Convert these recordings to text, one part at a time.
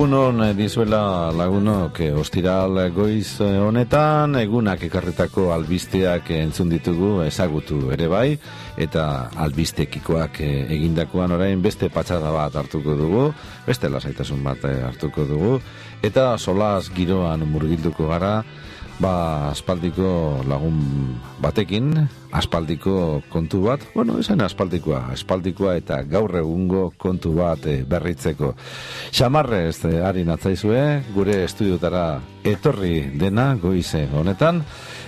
Egunon dizuela lagunok, ostiral goiz honetan, egunak ekarritako albisteak entzun ditugu ezagutu ere bai, eta albistekikoak egindakoan orain beste patxada bat hartuko dugu, beste lasaitasun bat hartuko dugu, eta solaz giroan murgilduko gara, aspaldiko lagun batekin, aspaldiko kontu bat, esan aspaldikoa eta gaur egungo kontu bat berritzeko. Xamarrez ari natzaizue, gure estudiotara etorri dena goize honetan,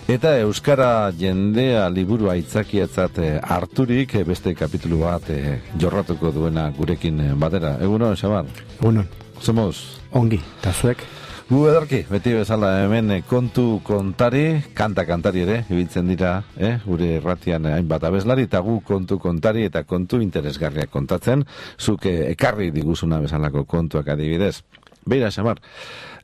eta Euskara jendea liburu aitzakiatzat harturik beste kapitulu bat jorratuko duena gurekin batera. Egunon, Xamar? Egunon. Somos? Ongi, eta zuek? Gu edarki, beti bezala hemen kontu kontari, kantari ere, ibiltzen dira, gure erratian hainbat abeslari, eta gu kontu kontari eta kontu interesgarriak kontatzen, zuk ekarri diguzuna bezalako kontuak adibidez. Beira, Xamar,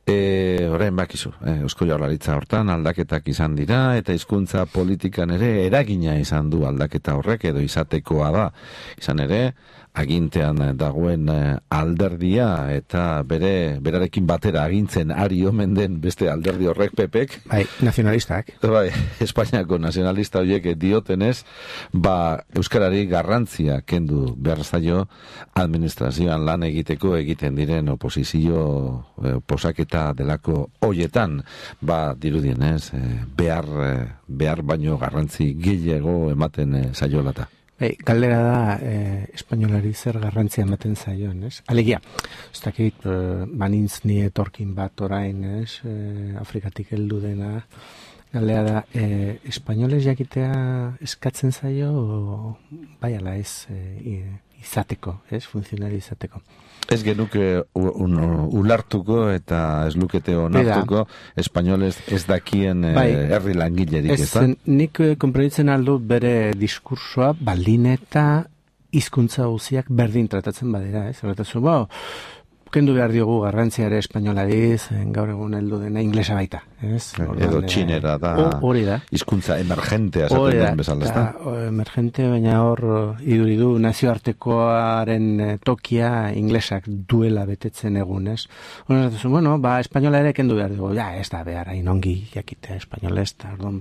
orain bakizu, Eusko Jaurlaritza hortan aldaketak izan dira, eta hizkuntza politikan ere eragina izan du aldaketa horrek, edo izatekoa da. Izan ere, agintean dagoen alderdia eta berarekin batera agintzen ari omen den beste alderdi horrek PPek. Bai, nazionalistak. Bai, Espainiako nazionalista horiek diotenez, euskarari garrantzia kendu behar zaio administrazioan lan egiteko egiten diren oposizio posaketa delako hoietan, dirudienez, behar baino garrantzi gehiago ematen zaiolata. Galdera da, espainolari zer garrantzia ematen zaion, ez? Alegia, ez dakit, banintz ni etorkin bat orain, ez? Afrikatik heldu dena. Galdera da, espainoles jakitea eskatzen zaio, bai ala ez, izateko, ez? Funtzionari izateko. Ez genuke ulartuko eta ez lukete onartuko espainoles ez dakien herri langilerik, ez da? Nik konprenitzen aldu bere diskursoa baldin eta hizkuntza guztiak berdin tratatzen badira, ez? Horretazu, kendu behar diogu garrantzia ere espainolari, gaur egun heldu dena inglesa baita, ez? Edo txinera da, hizkuntza emergentea esaten den bezala, ez da? Emergente, baina hor iduridu nazioartekoaren tokia inglesak duela betetzen egun, ez? Horretazu, espainola ere kendu behar dugu, ez da behar, hain ongi jakitea espainolez, eta orduan,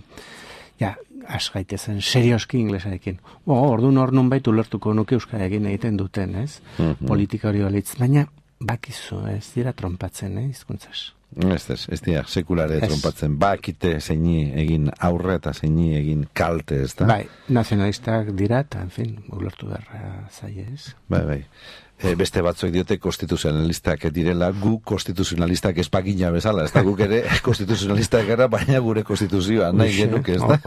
has gaitezen serioski inglesarekin. Orduan hor nun baitu lertuko nuke euskararekin egiten duten, ez? Politika hori balitz, baina bakizu, ez dira trompatzen, hizkuntzaz. Ez dira, sekulare trompatzen. Bakite zeini egin aurre eta zeini egin kalte, ez da? Bai, nazionalistak dira, eta, en fin, ulertu beharra zaie, ez? Bai. Beste batzuek diote konstituzionalistak direla, gu konstituzionalistak espagina bezala, ez da, guk ere konstituzionalistak gara, baina gure konstituzioa nahi genuke, ez da?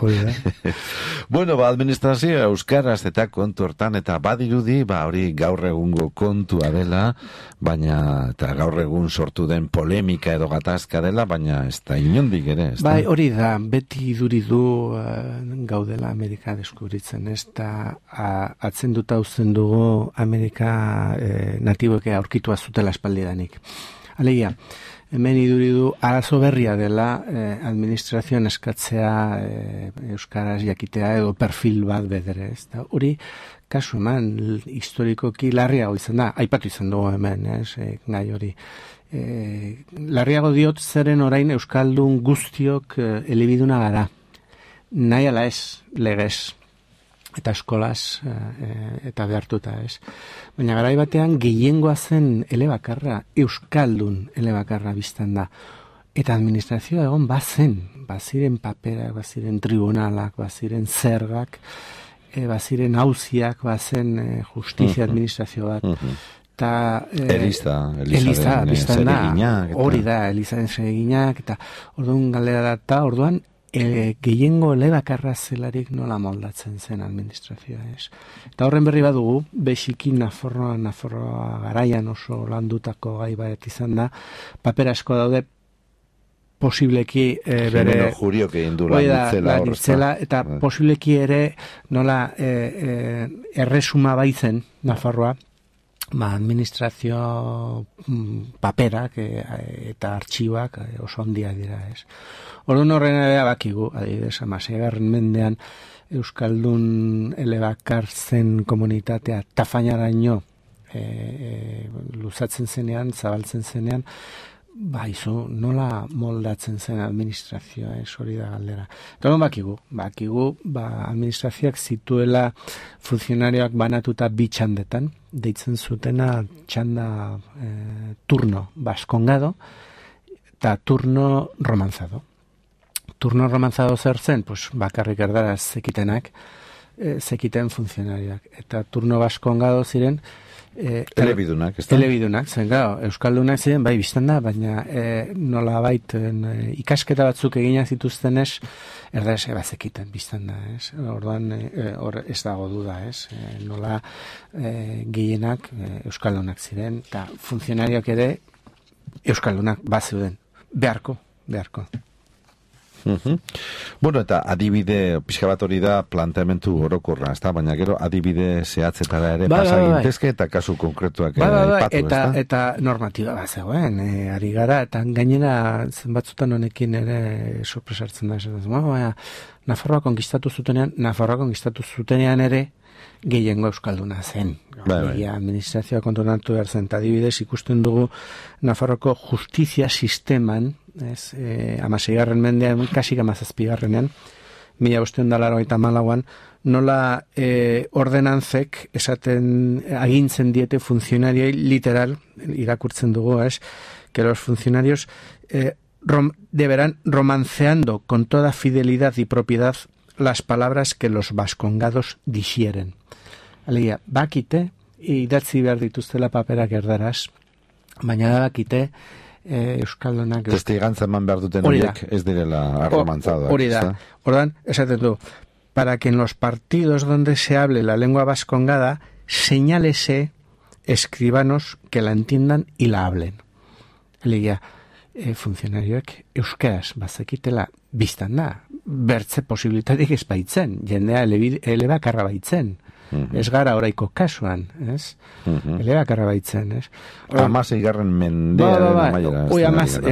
Administrazioa euskaraz eta kontu hortan, eta badirudi, hori gaur egungo kontua dela, baina, eta gaur egun sortu den polemika edo gatazka dela, baina ez da inondik ere, ez da? Bai, hori da, beti iduridu gaudela Amerika deskubritzen, ez da, atzenduta uzten dugu Amerika natiboeke aurkitua zutela espaldidanik. Alegia, hemen iduridu arazo berria dela administrazioan eskatzea euskaraz jakitea edo perfil bat bedere, ez da? Hori, kasu eman, historikoki larriago izan da, aipatu izan dugu hemen, gai hori. Larriago diot zeren orain euskaldun guztiok elebiduna gara. Nahi ala ez, legez. Eta eskolaz, eta behartuta, ez. Baina garai batean gehiengoa zen elebakarra, euskaldun elebakarra biztan da. Eta administrazioa egon baziren paperak, baziren tribunalak, baziren zergak, baziren auziak, bazen justizia administrazio bat. Eliza biztan da, hori da, Elizaren zereginak, eta orduan galdera da, orduan, gehiengo elebakarra zelarik nola moldatzen zen administrazioa, ez. Eta horren berri badugu, besiki Nafarroa garaian oso landutako gai bat izan da, paper asko daude posibleki bere juriok egin du lan itzela, eta posibleki ere nola erresuma baitzen Nafarroa, administrazio paperak eta artxiboak oso handiak dira, ez. Orduan horren ere bakigu, adibidez, 16. mendean euskaldun elebakar zen komunitatea tafainaraino luzatzen zenean, zabaltzen zenean, izu, nola moldatzen zen administrazioa, hori da galdera. Eta bakigu, administrazioak zituela funtzionarioak banatuta bi txandetan, deitzen zutena txanda turno baskongado eta turno romanzado. Turno romanzado zer zen, pues, bakarrik erdaraz zekitenak, zekiten funtzionarioak. Eta turno baskongado ziren, elebidunak, ez da? Elebidunak, zen, euskaldunak ziren, bai, biztan da, baina nola ikasketa batzuk egina zituztenez, erdaraz bazekiten, biztan da, ez? Orduan, hor ez dago duda, ez? Nola gehienak euskaldunak ziren, eta funtzionarioak ere euskaldunak bazeuden, beharko. Bueno, eta adibide pixka bat hori da planteamentu orokorra, ezta? Baina gero adibide zehatzetara ere pasa gintezke eta kasu konkretuak aipatu, ezta? Eta normatiba bat zegoen, ari gara, eta gainera zenbatzutan honekin ere sorpresartzen da, baina Nafarroa konkistatu zutenean ere gehiengo euskalduna zen. Administrazioa kontrolatu behar zen, eta adibidez ikusten dugu Nafarroko justizia sisteman, 16. mendean, kasik 17. 1584an, nola ordenantzek esaten agintzen diete funtzionarioi literal, irakurtzen dugu, que los funcionarios deberán romanceando con toda fidelidad y propiedad las palabras que los vascongados dixieren. Alegia, bakite, idatzi behar dituztela paperak erdaraz, baina da bakite, euskaldunak... Testigantza eman behar duten horiek ez direla arromantzado. Hori da. Ordan, esaten du, para que en los partidos donde se hable la lengua vascongada, señálese escribanos que la entiendan y la hablen. Alegia, funtzionarioek euskaraz bazekitela biztan da, bertze posibilitatik ez baitzen, jendea elebakarra baitzen. Ez gara oraiko kasuan, ez? Elebakarra baitzen, ez? 16. mendearen amaiera.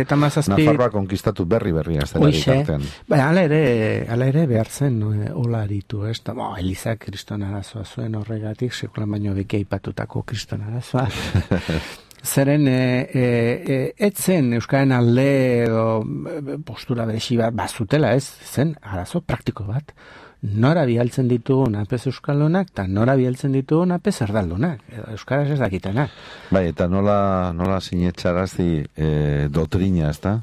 Eta 17. Nafarroa konkistatu berri ez dela bitartean. Hala ere behar zen hola aritu, ez? Elizak kriston arazoa zuen horregatik, sekulan baino beki aipatutako kriston arazoa. Zeren etzen euskaren alde edo postura beresi bat bazutela, ez? Zen arazo praktiko bat. Nora bialtzen ditugun apez euskaldunak eta nora bialtzen ditugun apez erdaldunak. Euskaraz ez dakitenak. Bai, eta nola sinetxarazi dotrina, ez da?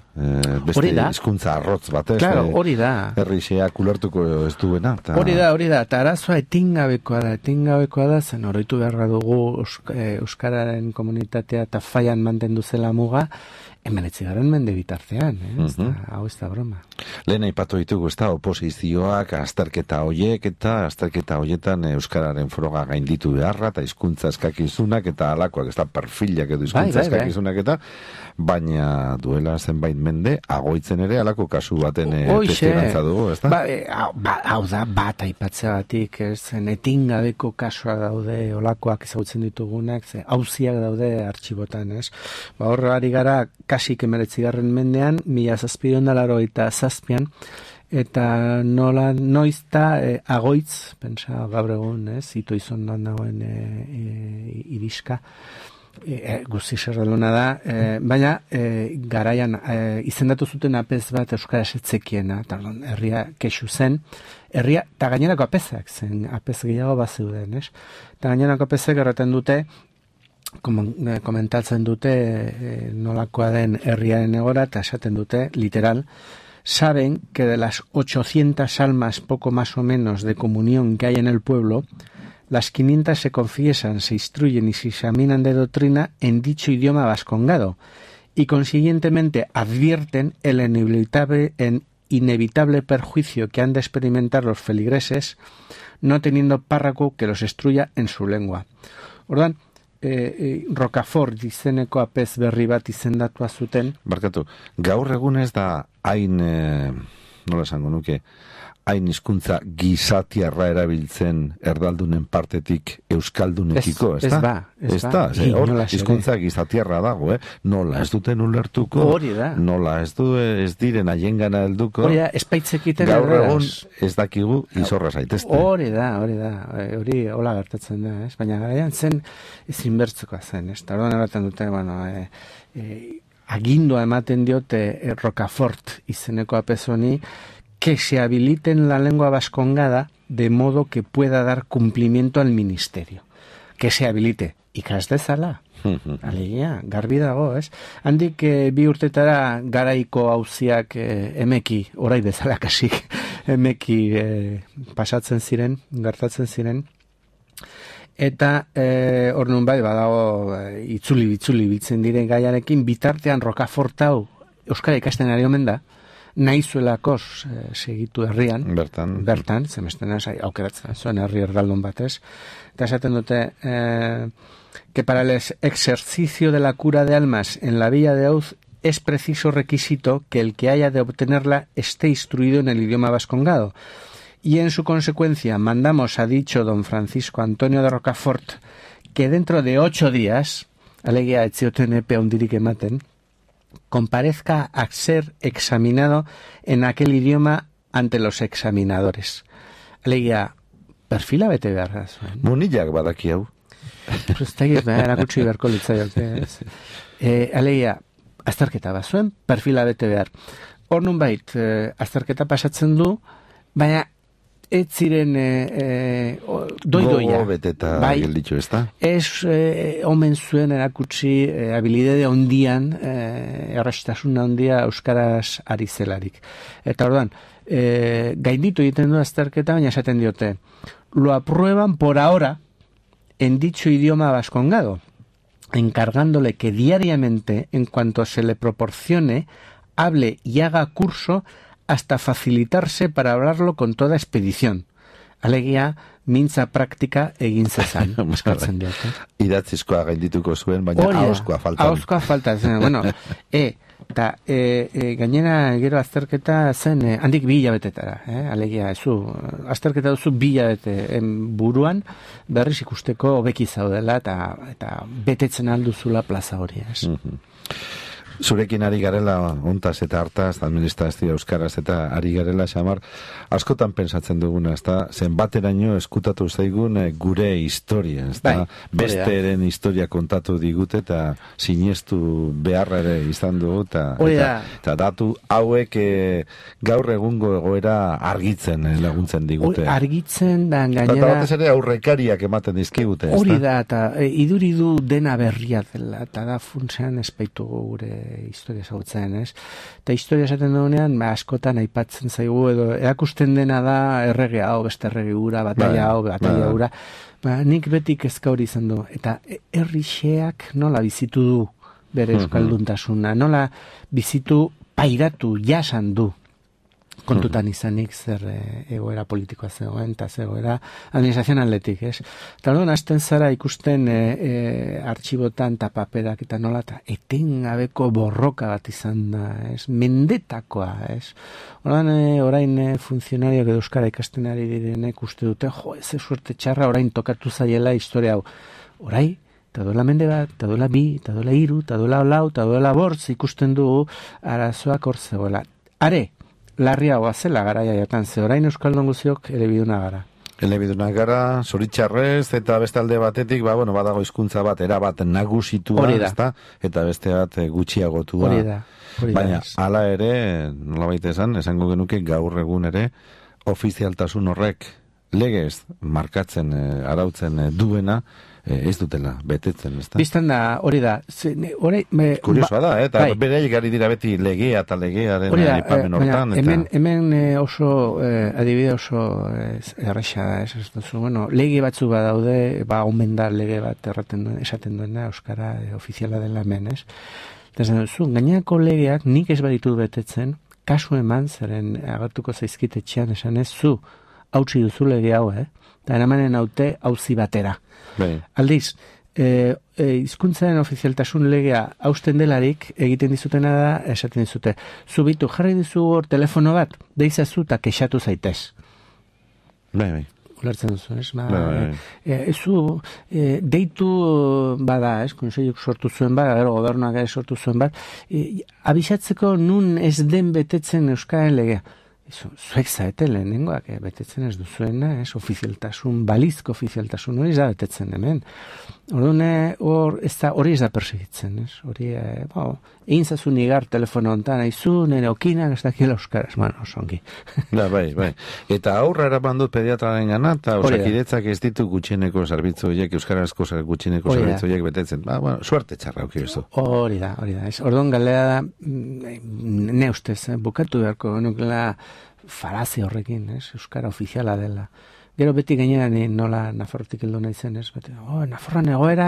Beste hizkuntza arrotz bat, ez? Claro, hori da. Herrixeak ulertuko ez duena. Hori da. Eta arazoa etingabekoa da, zen oroitu beharra dugu euskararen komunitatea eta faian mantendu zela muga, 19. mende bitartean, hau ez da broma. Lehen aipatu ditugu, ez da, oposizioak, azterketa hoietan euskararen froga gainditu beharra, eta hizkuntza eskakizunak, eta alakoak, ez da, perfilak edo hizkuntza eskakizunak, eta baina duela zenbait mende, agoitzen ere alako kasu baten testigantza dugu, ez da? Hau da, bat aipatzea batik, zen etingabeko kasua daude, olakoak ezagutzen ditugunak, auziak daude artxibotan, ez? Horra ari gara, kasik 19. mendean, 1787an, eta noizta agoitz, pentsa gaur egun, ito izondan dagoen iriska, guzti zerraluna da, baina garaian izendatu zuten apez bat euskaraz etzekiena, eta herria kexu zen, herria, eta gainerako apezak zen, apez gehiago bazeuden, eta gainerako apezak erraten dute, komentatzen dute nolakoa den herriaren egora, eta esaten dute, literal, saben que de las 800 almas poco más o menos de comunión que hay en el pueblo, las 500 se confiesan, se instruyen y se examinan de doctrina en dicho idioma vascongado, y consiguientemente advierten el inevitable perjuicio que han de experimentar los feligreses, no teniendo párroco que los instruya en su lengua. Ordan, Rocafort izeneko apez berri bat izendatua zuten. Barkatu, gaur egun ez da hain, nola esango nuke, hain hizkuntza gizatiarra erabiltzen erdaldunen partetik euskaldunekiko, ez da? Ez da, hor hizkuntza gizatiarra dago, nola ez duten ulertuko, nola ez diren haiengana helduko, gaur egun ez dakigu izorra zaitezte. Hori da, hori hola gertatzen da, ez? Baina garaian zen ezinbertzekoa zen, ez? Eta orduan erraten dute, agindua ematen diote Rocafort izeneko apezoni, que se habiliten la lengua vascongada de modo que pueda dar cumplimiento al ministerio. Que se habilite. Ikas dezala. Alegia, garbi dago, ez? Handik bi urtetara garaiko auziak emeki, orai bezala kasik, emeki pasatzen ziren, gertatzen ziren. Eta hor nun bai, badago itzuli biltzen diren gaiarekin, bitartean Rocafort hau euskara ikasten ari omen da, nahizuelakos segitu herrian, bertan, zemestena aukeratzen zuen herri erdaldun batez, eta esaten dute que para el ejercicio de la cura de almas en la Villa de Auz es preciso requisito que el que haya de obtenerla esté instruido en el idioma vascongado. Y en su consecuencia mandamos a dicho don Francisco Antonio de Rocafort que dentro de 8 días, alegia etzioten epe hundirik ematen, comparezca a ser examinado en aquel idioma ante los examinadores. Alegia, perfila bete behar zuen. Munillak badaki hau. Erakutsi beharko litzaioke. Alegia, azterketa bat zuen, perfila bete behar. Hor nun bait, azterketa pasatzen du, baina ez ziren doidoia. Gogo beteta gelditu, ez da? Ez omen zuen erakutsi habilidade ondian, errastasuna ondia euskaraz ari zelarik. Eta orduan, gainditu egiten du azterketa, baina esaten diote, lo aprueban por ahora en dicho idioma vascongado, encargándole que diariamente, en cuanto se le proporcione, hable y haga curso hasta facilitarse para hablarlo con toda expedición. Alegia, mintza praktika egin zezan. Eskatzen diote. Idatzizkoa gaindituko zuen, baina ahozkoa faltan. Ahozkoa faltan. Bueno, eta gainera gero azterketa zen handik 2 hilabetetara. Alegia, azterketa duzu 2 hilabete buruan, berriz ikusteko hobeki zaudela eta betetzen alduzula plaza hori. Zurekin ari garela ontaz eta hartaz, administrazio euskaraz eta ari garela xamar, askotan pensatzen duguna, ezta, zenbateraino eskutatu zaigun gure historia, ezta, besteren historia kontatu digute eta sinestu beharra ere izan dugu eta datu hauek gaur egungo egoera argitzen laguntzen digute. Argitzen da gainera. Eta batez ere aurrekariak ematen dizkigute, ezta? Hori da, eta iduridu dena berria dela, eta da funtsean espaitu gure historia ezagutzen, ez? Eta historia esaten dugunean, askotan aipatzen zaigu, edo erakusten dena da errege hau, beste errege hura, batalla hau, batalla hura. Nik beti kezka hori izan du. Eta herrixeak nola bizitu du bere euskalduntasuna, nola bizitu pairatu, jasan du. Kontutan izanik zer egoera politikoa zegoen, eta egoera administrazionaletik, ez? Eta orduan hasten zara ikusten artxibotan eta paperak eta nola, eta etengabeko borroka bat izan da, ez? Mendetakoa, ez? Orduan orain funtzionarioak edo euskara ikasten ari direnek uste dute, ez suerte txarra orain tokatu zaiela historia hau. Orai, eta duela mende bat, eta duela 2, eta duela 3, eta duela 4, eta duela 5 ikusten dugu arazoak hor zegoela. Are, larriagoa zela garaia jatan, ze orain euskaldun guziok elebiduna gara. Elebiduna gara, zoritxarrez, eta beste alde batetik, badago hizkuntza bat, erabat nagusitua, eta beste bat gutxiagotua. Hori da. Baina, hala ere, nolabait esango genuke gaur egun ere, ofizialtasun horrek legez markatzen, arautzen duena, ez dutela betetzen, ez da? Biztan da, hori da. Kuriosoa da, eta bereik ari dira beti legea eta legearen aipamen hortan. Hemen oso, adibide oso erresa da, ez duzu. Bueno, lege batzu badaude, omen da lege bat esaten duena, euskara ofiziala dela hemen, ez? Eta duzu, gaineako legeak nik ez baditu betetzen, kasu eman, zeren agertuko zaizkitetxean esan ez, zu, hautsi duzu lege hau, eta eramanen haute hauzi batera. Aldiz, hizkuntzaren ofizialtasun legea hausten delarik egiten dizutena da, esaten dizute, zubitu jarri dizu hor telefono bat, deizazu eta kexatu zaitez. Bai. Ulertzen duzu, ez? Deitu bada, ez? Konseiluk sortu zuen bat, gero gobernuak sortu zuen bat, abisatzeko nun ez den betetzen Euskararen legea. Zuek zaete lehenengoak, betetzen ez duzuena, ez? Ofizialtasun, balizko ofizialtasun hori ez da betetzen hemen. Hori ez da persegitzen, ez? Hori, egin zazun igar telefono hontan, aizu, nire okinak, ez dakila euskaraz, osongi. Bai. Eta aurra eraman dut pediatraren gana, eta osakidetzak ez ditu gutxieneko zerbitzu horiek, euskarazko gutxieneko zerbitzu horiek betetzen. Suerte txarra auki bezu. Hori da. Orduan galera da, ne ustez, bukatu beharko, nukela falazia horrekin, ez? Euskara ofiziala dela. Gero beti gainean nola Nafarrotik heldu nahi zen, ez? Nafarroan egoera,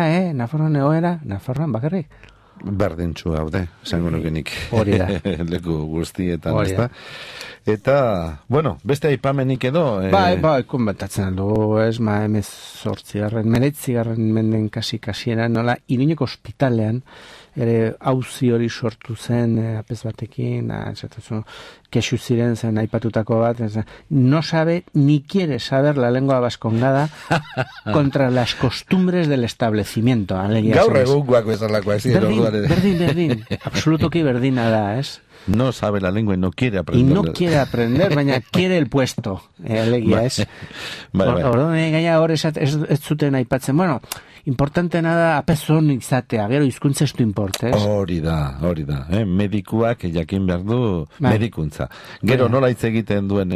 Nafarroan bakarrik. Berdintxu haude, esango nukenik. Hori da. Leku guztietan, ez da? Eta, beste aipamenik edo... konbatatzen aldo, ez, 19 menden kasieran, nola, Iruñeko ospitalean, ere auzi hori sortu zen, apez batekin, kexu ziren zen aipatutako bat, no sabe ni quiere saber la lengua vascongada contra las costumbres del establecimiento. Gaur egungoak bezalakoak ziren. Berdin, absolutoki berdina da, ez? No sabe la lengua y no quiere aprender. Y no quiere aprender, baina quiere el puesto. Alegia, ez? Orduan, gaina hor ez zuten aipatzen. Importanteena da apezon izatea, gero hizkuntza ez du importe, ez? Hori da. Medikuak jakin behar du medikuntza. Gero nola hitz egiten duen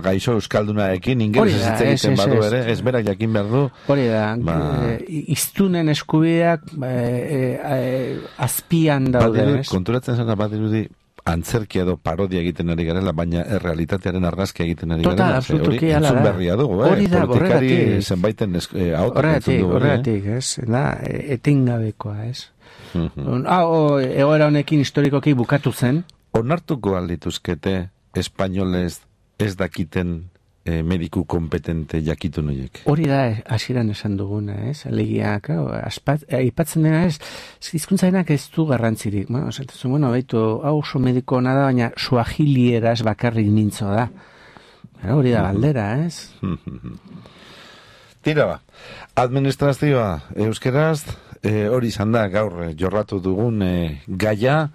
gaixo euskaldunaekin, ingeles hitz egiten badu ere, ez berak jakin behar du. Hori da, iztunen eskubideak azpian daude, ez? Konturatzen zara badirudi antzerkia edo parodia egiten ari garela, baina errealitatearen argazkia egiten ari garela. Absolutuki ala da. Entzun berria dugu, politikari zenbaiten auto entzun dugu. Horregatik, ez? Etengabekoa, ez? Egoera honekin historikoki bukatu zen. Onartuko aldituzkete espainolez ez dakiten mediku kompetente jakitun horiek. Hori da, hasieran esan duguna, ez? Alegia, aipatzen dena, ez? Hizkuntzainak ez du garrantzirik. Baitu, hau oso mediko ona da, baina suahilieraz bakarrik mintzo da. Hori da galdera, ez? Tira administrazioa euskeraz, hori izan da gaur jorratu dugun gaia,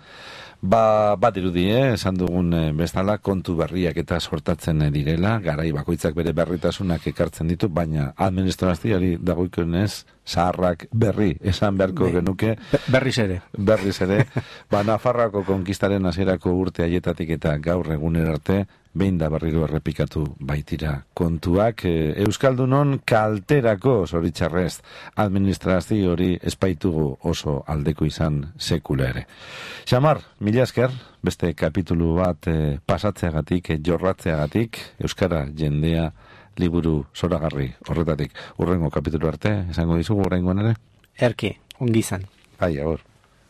bat irudi, esan dugun bezala, kontu berriak eta sortatzen direla, garai bakoitzak bere berritasunak ekartzen ditu, baina administrazioari dagoikonez zaharrak berri, esan beharko genuke. Berriz ere. Nafarroako konkistaren hasierako urte haietatik eta gaur egunera arte, behin da berriro errepikatu baitira kontuak. Euskaldunon kalterako zoritxarrez administrazio hori espaitugu oso aldeko izan sekula ere. Xamar, mila esker, beste kapitulu bat pasatzeagatik, jorratzeagatik, Euskara jendea liburu zoragarri horretatik. Urrengo kapitulu arte, esango dizugu urrengoan ere? Erki, ongi izan. Agur.